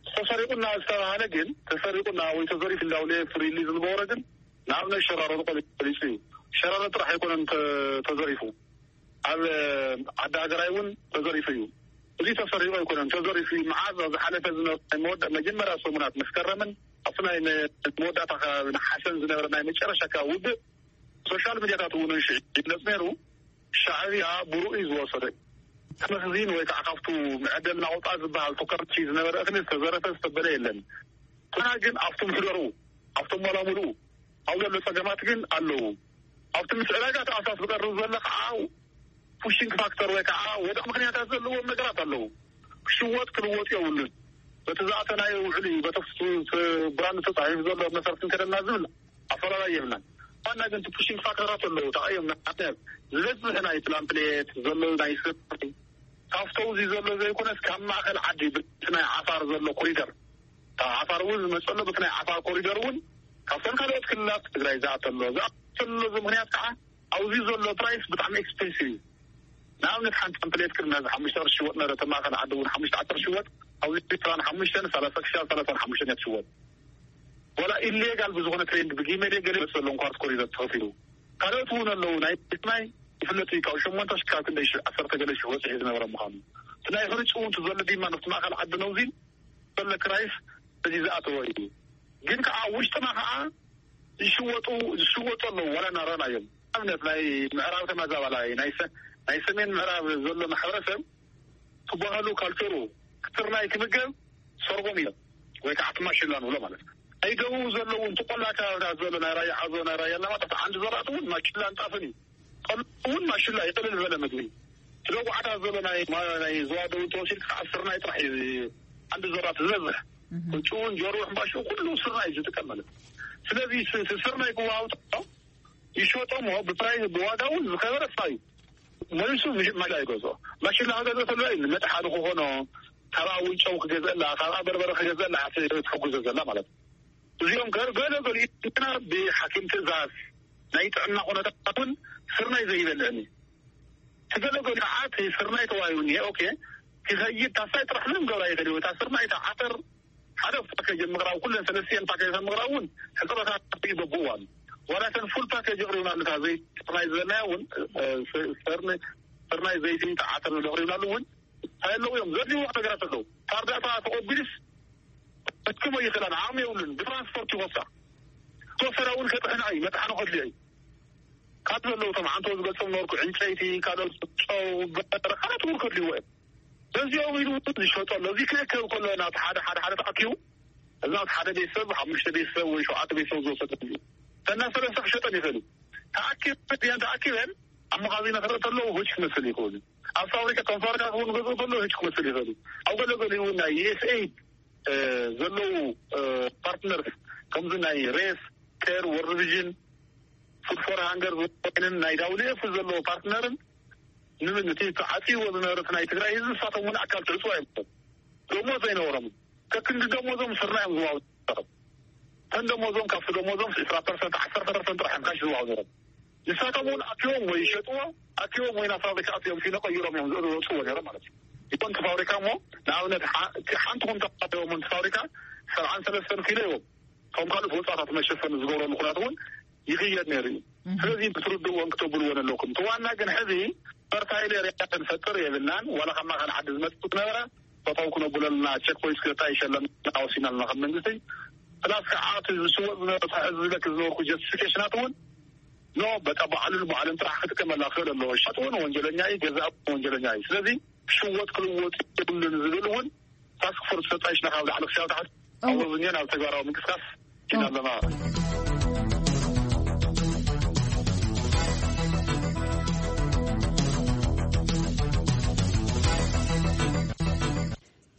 ተሰሪቑና ዝተባህለ ግን፣ ተሰሪቑና ወይ ተዘሪፉ እንዳውለ ፍሪሊ ዝነበረ ግን ንኣብነት ሸራሮ ተቐሊጹ እዩ። ሸራሮ ጥራሕ ኣይኮነን ተ-፣ ተዘሪፉ። ኣብ ዓዲ ሃገራይ እውን ተዘሪፉ እዩ። እዚ ተሰሪቑ ኣይኮነን፣ ተዘሪፉ እዩ። መዓዝ ኣብ ዝሓለፈ ዝነበረ ናይ መወዳ-፣ መጀመርያ ሰሙናት መስከረምን ኣብቲ ናይ መ-፣ መወዳእታ ከባቢ ነሓሰን ዝነበረ ናይ መጨረሻ ከባቢ ውግእ ሶሻል ሚድያታት እውን ሽዑ ይግለጽ ነይሩ። ሻዕብያ ብርኡ እዩ ዝወሰደ። ተመኽዚን ወይ ከዓ ካብቱ መዐደል ናውፃ ዝበሃል ቱከርቲ ዝነበረ እኽሊ ዝተዘረፈ ዝተበለ የለን። ግና ግን ኣብቶም ሕደሩ ኣብቶም መላሙሉ ኣብ ዘሎ ፀገማት ግን ኣለዉ። ኣብቲ ምስ ዕዳጋ ተኣሳስ ዝቀርብ ዘሎ ከዓ ፑሽንግ ፋክተር ወይ ከዓ ወደ ምክንያታት ዘለዎም ነገራት ኣለዉ። ክሽወጥ ክልወጥ የብሉን። በቲ ዝኣተ ናይ ውዕሊ በተፍሱ ብራንድ ተፃሒፉ ዘሎ መሰረት እንከደና ዝብል ኣፈላላይ የብልናን። ዋና ግን ቲ ፑሽንግ ፋክተራት ኣለዉ። ተቐየምና ዝበዝሕ ናይ ፕላምፕሌት ዘሎ ናይ ስርናይ ካብቶም እዚ ዘሎ ዘይኮነስ ካብ ማእኸል ዓዲ ብቲ ናይ ዓፋር ዘሎ ኮሪደር፣ ካብ ዓፋር እውን ዝመፀሎ ብቲ ናይ ዓፋር ኮሪደር እውን ካብተን ካልኦት ክልላት ትግራይ ዝኣተሎ ዝኣተሎ ምክንያት ከዓ ኣብዚ ዘሎ ፕራይስ ብጣዕሚ ኤክስፔንሲቭ እዩ። ንኣብነት ሓንቲ ፕሌት ቅድሚ ሕዚ ሓሙሽተ ቅርሺ ሽወጥ ነበረ። ተማኸል ዓዲ እውን ሓሙሽተ ዓሰርተ ሽወጥ ኣብዚ ዕስራን ሓሙሽተን ሰላሳ ክሻብ ሰላሳን ሓሙሽተን እያ ትሽወጥ። ወላ ኢሌጋል ብዝኾነ ትሬንድ ብጊመል ገለ መሰሎም ኳርት ኮሪደር ተኸፊሉ ካልኦት እውን ኣለዉ። ናይ ማይ ይፍለጥ እዩ። ካብ ሸሞንተ ሽካብ ክንደ ዓሰርተ ገለ ሽወጥ ዝነበረ ምዃኑ እቲ ናይ ሕርጭ እውን ዘሎ ዲማ ነቲ ማእኸል ዓዲ ነውዚን ዘሎ ክራይስ እዚ ዝኣተወ እዩ። ግን ከዓ ውሽጥና ከዓ ዝሽወጡ ዝሽወጡ ኣለዉ። ዋላ እናረኣና እዮም። ኣብነት ናይ ምዕራብ ተመዛባላይ ናይ ሰ- ናይ ሰሜን ምዕራብ ዘሎ ማሕበረሰብ ትባህሉ ካልቸሩ ክትርናይ ክምገብ ሰርጎም እዮም ወይ ከዓ ትማሽላ ንብሎ ማለት እዩ። ናይ ደቡብ ዘለዉ ትቆላ ከባብታት ዘሎ ናይ ራያ ዓዞ ናይ ራያ ኣለማጣ ዓንዲ ዘራእቲ እውን ማሽላን ጣፍን እዩ። ጠሉ እውን ማሽላ ይቅልል ዝበለ ምግቢ ትደጉዓታት ዘሎ ናይ ማ- ናይ ዝዋደው ተወሲድ ከዓ ስርናይ ጥራሕ እዩ። ዓንዲ ዘራእቲ ዝበዝሕ ቅጭውን ጀሩ ሕምባሽኡ ኩሉ ስርናይ እዩ ዝጥቀም ማለት እዩ። ስለዚ ስ- ስ- ስርናይ ክዋውጥ ይሸጦ እሞ ብፕራይ ብዋጋ እውን ዝኸበረ ስራ እዩ። መሊሱ ምሽ- ማሽላ ይገዝኦ። ማሽላ ክገዝኦ ተሎ እዩ ንመጥሓኒ ክኾኖ ካብኣ ውንጨው ክገዝአላ ካብኣ በርበረ ክገዝአላ ትሕጉዞ ዘላ ማለት እዩ። እዚኦም ገር ገለ ገሊኡ ግና ብሓኪም ትእዛዝ ናይ ጥዕና ኩነታት እውን ስርናይ ዘይበልዕን እዩ። ትገለገሉ ሰዓት ስርናይ ተዋሂቡኒ ኦኬ ክኸይድ ታሳይ ጥራሕ ምንም ገብራ ይኽእል እዩ። እታ ስርናይ እታ ዓተር ሓደ ፓኬጅ ምቕራብ ኩለን ሰለስቲኤን ፓኬጅ ምቕራብ እውን ሕፅረታት ይበብኡ ኣሉ። ዋላ ተን ፉል ፓኬጅ ይቕሪብና ኣሉ። እታ ዘይቲ ስርናይ ዝበልናዮ እውን እ፣ ስ- ስርኒ- ስርናይ ዘይቲ እታ ዓተር ዝቕሪብና ኣሉ እውን ኣለዉ እዮም። ዘድልይዎ ነገራት ኣለዉ። ታርዳታ ተቆቢልስ ክትክሞ ይኽእላን ዓቕሚ የብሉን። ብትራንስፖርት ይወሳ ተወሰዳ እውን ከጥሕና እዩ መጥሓኒ ከድልዮ እዩ። ካብ ዘለዉ ቶም ዓንተው ዝገልጾም ነበርኩ ዕንጨይቲ ካልኦት ጨው በረ ካልኦት እውን ከድልይዎ እዮም። በዚኦም ኢሉ እውን ዝሸጦ ኣሎ። እዚ ክእከብ ከሎ ናብቲ ሓደ ሓደ ሓደ ተኣኪቡ እዚ ናብቲ ሓደ ቤተሰብ ሓሙሽተ ቤተሰብ ወይ ሸውዓተ ቤተሰብ ዝወሰደ እዩ። ተና ሰለስተ ክሸጠን ይኽእል እዩ። ተኣኪበን ተኣኪበን ኣብ መኻዚና ክረእ ተለዉ ህጅ ክመስል ይኽእል እዩ። ኣብ ፋብሪካ ከም ፋብሪካ ክውን ገዝኡ ተለዉ ህጅ ክመስል ይኽእል እዩ። ኣብ ገለገሊኡ እውን ናይ ዩኤስኤይድ ዘለዉ ፓርትነርስ ከምዚ ናይ ሬስ ኬር ወርልድ ቪዥን ፉድ ፎር ሃንገር ዝኮይንን ናይ ዳውሊኤፍ ዘለዎ ፓርትነርን ንምን እቲ ተዓፅይዎ ዝነበረት ናይ ትግራይ ህዝቢ ንሳቶም እውን ኣካል ትዕፅዋ እዮም። ደሞዝ ዘይነበሮም ከክንዲ ደሞዞም ስርና እዮም ዝዋው ተን ደሞዞም ካብቲ ደሞዞም ዕስራ ፐርሰንት ዓሰርተ ፐርሰንት ጥራሕ እዮም ካሽ ዝዋው ነሮም። ንሳቶም እውን ኣኪቦም ወይ ይሸጥዎ ኣኪቦም ወይ ናብ ፋብሪካ ኣትዮም ፊኖ ቀይሮም እዮም ዝወፅዎ ነሮም ማለት እዩ። ይኮን እቲ ፋብሪካ እሞ ንኣብነት ሓ- ሓንቲ ኩንታ ኣኪቦም እቲ ፋብሪካ ሰብዓን ሰለስተን ኪሎ እዮም። ከም ካልኦት ወፃታት መሸፈኒ ዝገብረሉ ኩነት እውን ይኽየድ ነይሩ እዩ። ስለዚ ክትርድእዎን ክተብልዎን ኣለኩም። እቲ ዋና ግን ሕዚ ፈርታይል ኤርያ ክንፈጥር የብልናን። ዋላ ካብ ማእኸል ዓዲ ዝመፅእ ዝነበረ ፈተው ክነብለልና ቸክ ፖይንት ክልተ ይሸለም ወሲናልና ከም መንግስቲ ፕላስ ከዓ እቲ ዝሽወጥ ዝነበረ ሕዚ ዝለክ ዝነበርኩ ጀስቲፊኬሽናት እውን ኖ በቃ በዓሉን በዓልን ጥራሕ ክጥቀመላ ክእል ኣለዎ። ሸጥ እውን ወንጀለኛ እዩ፣ ገዛ እውን ወንጀለኛ እዩ። ስለዚ ክሽወጥ ክልወጥ የብሉን ዝብል እውን ታስክ ፎርስ ፈጣይሽና ካብ ላዕሊ ክሳብ ታሕቲ ኣወዝኛን ኣብ ተግባራዊ ምንቅስቃስ ኢና ኣለና።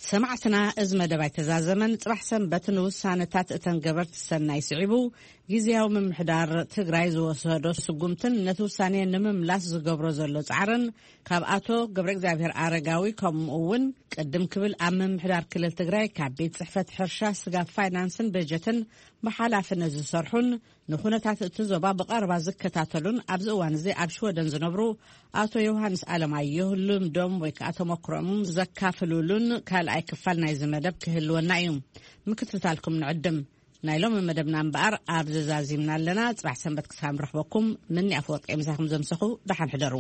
ሰማዕትና፣ እዚ መደብ ኣይተዛዘመን። ጽባሕ ሰንበት ንውሳነታት እተን ገበርቲ ሰናይ ስዒቡ ግዜያዊ ምምሕዳር ትግራይ ዝወሰዶ ስጉምትን ነቲ ውሳኔ ንምምላስ ዝገብሮ ዘሎ ጻዕርን ካብ ኣቶ ገብረ እግዚኣብሔር ኣረጋዊ ከምኡ እውን ቅድም ክብል ኣብ ምምሕዳር ክልል ትግራይ ካብ ቤት ጽሕፈት ሕርሻ ስጋብ ፋይናንስን በጀትን ብሓላፍነት ዝሰርሑን ንኩነታት እቲ ዞባ ብቐረባ ዝከታተሉን ኣብዚ እዋን እዚ ኣብ ሽወደን ዝነብሩ ኣቶ ዮሃንስ ኣለማየሁ ልምዶም ወይ ከዓ ተመክሮም ዘካፍሉሉን ካልኣይ ክፋል ናይዚ መደብ ክህልወና እዩ። ምክትታልኩም ንዕድም። ናይ ሎሚ መደብና እምበኣር ኣብ ዘዛዚምና ኣለና። ጽባሕ ሰንበት ክሳብ ንረኽበኩም ምኒ ኣፈወርቂ ምሳኹም ዘምሰኹ ደሓን ሕደሩ።